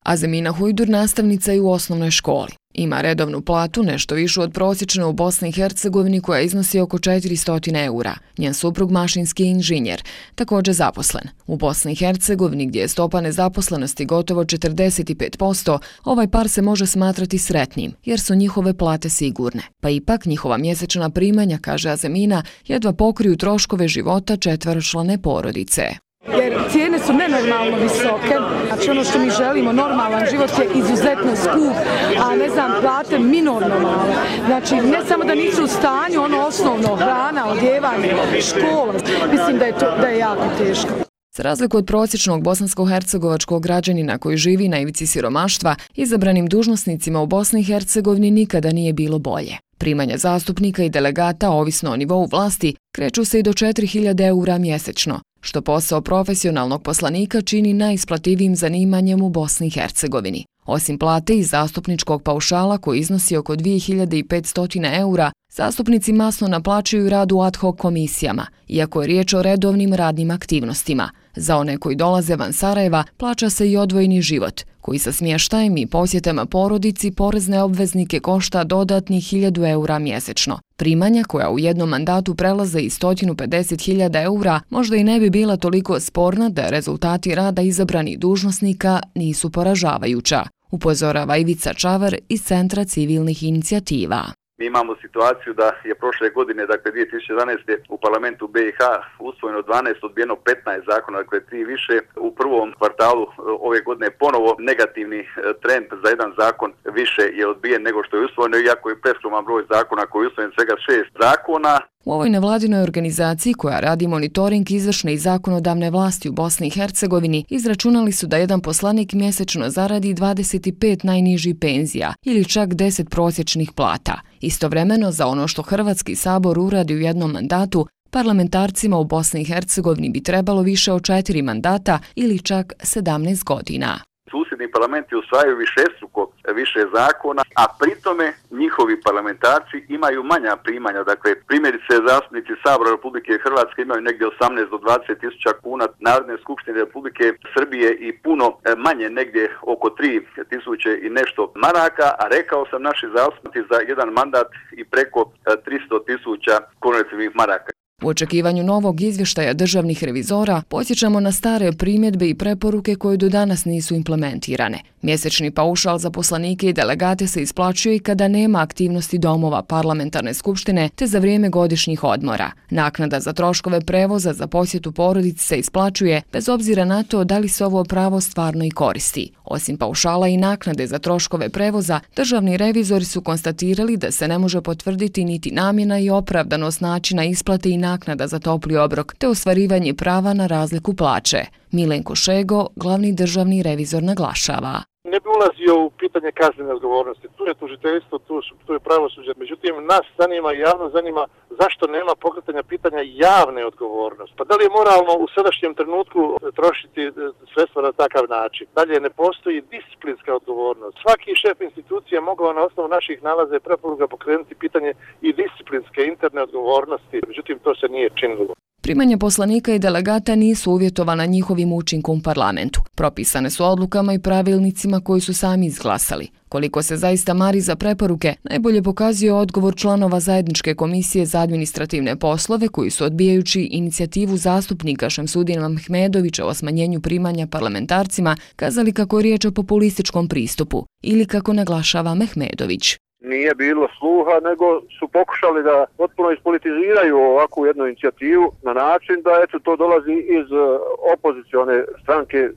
Azemina Hujdur nastavnica je u osnovnoj školi. Ima redovnu platu, nešto višu od prosječne u Bosni i Hercegovini, koja iznosi oko 400 eura. Njen suprug mašinski inženjer, također zaposlen. U Bosni i Hercegovini, gdje je stopa nezaposlenosti gotovo 45%, ovaj par se može smatrati sretnim, jer su njihove plate sigurne. Pa ipak njihova mjesečna primanja, kaže Azemina, jedva pokriju troškove života četveročlane porodice. Jer cijene su nenormalno visoke, znači ono što mi želimo, normalan život je izuzetno skup, a ne znam, plate minorno male. Znači ne samo da nisu u stanju, ono osnovno, hrana, odjevanje, škola, mislim da je jako teško. Za razliku od prosječnog bosansko-hercegovačkog građanina koji živi na ivici siromaštva, izabranim dužnosnicima u Bosni i Hercegovini nikada nije bilo bolje. Primanja zastupnika i delegata, ovisno o nivou vlasti, kreću se i do 4.000 eura mjesečno, što posao profesionalnog poslanika čini najisplativijim zanimanjem u Bosni i Hercegovini. Osim plate i zastupničkog paušala koji iznosi oko 2.500 eura, zastupnici masno naplaćuju rad u ad hoc komisijama, iako je riječ o redovnim radnim aktivnostima. Za one koji dolaze van Sarajeva plaća se i odvojeni život, koji sa smještajem i posjetama porodici porezne obveznike košta dodatnih 1.000 eura mjesečno. Primanja koja u jednom mandatu prelaze i 150.000 eura možda i ne bi bila toliko sporna da rezultati rada izabranih dužnosnika nisu poražavajuća, upozorava Ivica Čavar iz Centra civilnih inicijativa. Mi imamo situaciju da je prošle godine, dakle 2011. u parlamentu BiH usvojeno 12, odbijeno 15 zakona, dakle 3 više. U prvom kvartalu ove godine ponovo negativni trend za jedan zakon više je odbijen nego što je usvojeno, iako je preskroman broj zakona koji je usvojen svega 6 zakona. U ovoj nevladinoj organizaciji koja radi monitoring izvršne i zakonodavne vlasti u Bosni i Hercegovini izračunali su da jedan poslanik mjesečno zaradi 25 najnižih penzija ili čak 10 prosječnih plata. Istovremeno, za ono što Hrvatski sabor uradi u jednom mandatu, parlamentarcima u Bosni i Hercegovini bi trebalo više od 4 mandata ili čak 17 godina. Susjedni parlamenti usvajaju višestruko više zakona, a pritome njihovi parlamentarci imaju manja primanja. Dakle, primjerice zastupnici Sabora Republike Hrvatske imaju negdje 18 do 20 tisuća kuna, Narodne skupštine Republike Srbije i puno manje, negdje oko 3 tisuće i nešto maraka, a rekao sam naši zastupnici za jedan mandat i preko 300 tisuća konvertibilnih maraka. U očekivanju novog izvještaja državnih revizora podsjećamo na stare primjedbe i preporuke koje do danas nisu implementirane. Mjesečni paušal za poslanike i delegate se isplaćuje i kada nema aktivnosti domova parlamentarne skupštine te za vrijeme godišnjih odmora. Naknada za troškove prevoza za posjetu porodici se isplaćuje bez obzira na to da li se ovo pravo stvarno i koristi. Osim paušala i naknade za troškove prevoza, državni revizori su konstatirali da se ne može potvrditi niti namjena i opravdanost načina isplate i naknada za topli obrok te ostvarivanje prava na razliku plaće. Milenko Šego, glavni državni revizor, naglašava. Ne bi ulazio u pitanje kaznene odgovornosti. Tu je tužiteljstvo, tu je pravosuđe. Međutim, nas zanima i javno zanima zašto nema pokretanja pitanja javne odgovornosti. Pa da li je moralno u sadašnjem trenutku trošiti sredstva na takav način? Dalje, ne postoji disciplinska odgovornost. Svaki šef institucije mogao na osnovu naših nalaza i preporuka pokrenuti pitanje i disciplinske interne odgovornosti. Međutim, to se nije činilo. Primanja poslanika i delegata nisu uvjetovana njihovim učinkom u parlamentu. Propisane su odlukama i pravilnicima koji su sami izglasali. Koliko se zaista mari za preporuke, najbolje pokazuje odgovor članova Zajedničke komisije za administrativne poslove koji su, odbijajući inicijativu zastupnika Šemsudina Mehmedovića o smanjenju primanja parlamentarcima, kazali kako je riječ o populističkom pristupu ili kako naglašava Mehmedović. Nije bilo sluha, nego su pokušali da potpuno ispolitiziraju ovakvu jednu inicijativu na način da to dolazi iz opozicione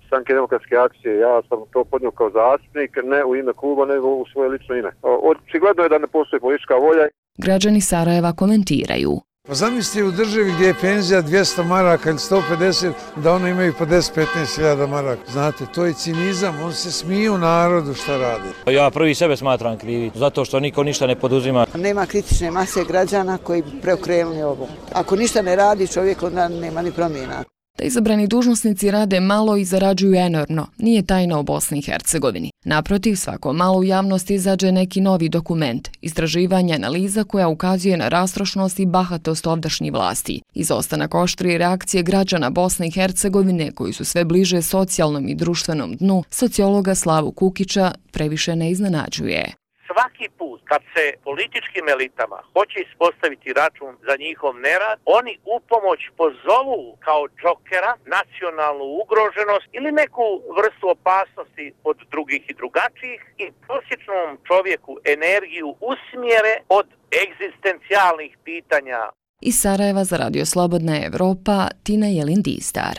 stranke Demokratske akcije. Ja sam to podnio kao zastupnik, ne u ime kluba, nego u svoje lično ime. Očigledno je da ne postoji politička volja. Građani Sarajeva komentiraju. Pa zamislite u državi gdje je penzija 200 maraka ili 150, da ono imaju po 10-15.000 maraka. Znate, to je cinizam, on se smiju narodu šta radi. Ja prvi sebe smatram krivi, zato što niko ništa ne poduzima. Nema kritične mase građana koji bi preokrenuli ovo. Ako ništa ne radi čovjek, onda nema ni promjena. Da izabrani dužnosnici rade malo i zarađuju enormno, nije tajna u Bosni i Hercegovini. Naprotiv, svako malo u javnosti izađe neki novi dokument, istraživanje, analiza koja ukazuje na rastrošnost i bahatost ovdašnjih vlasti. Izostanak oštrije reakcije građana Bosne i Hercegovine, koji su sve bliže socijalnom i društvenom dnu, sociologa Slavu Kukića previše ne iznenađuje. Svaki put kad se političkim elitama hoće ispostaviti račun za njihov nerad, oni upomoć pozovu kao džokera nacionalnu ugroženost ili neku vrstu opasnosti od drugih i drugačijih i prosječnom čovjeku energiju usmjere od egzistencijalnih pitanja. Iz Sarajeva za Radio Slobodna Evropa, Tina Jelin Distar.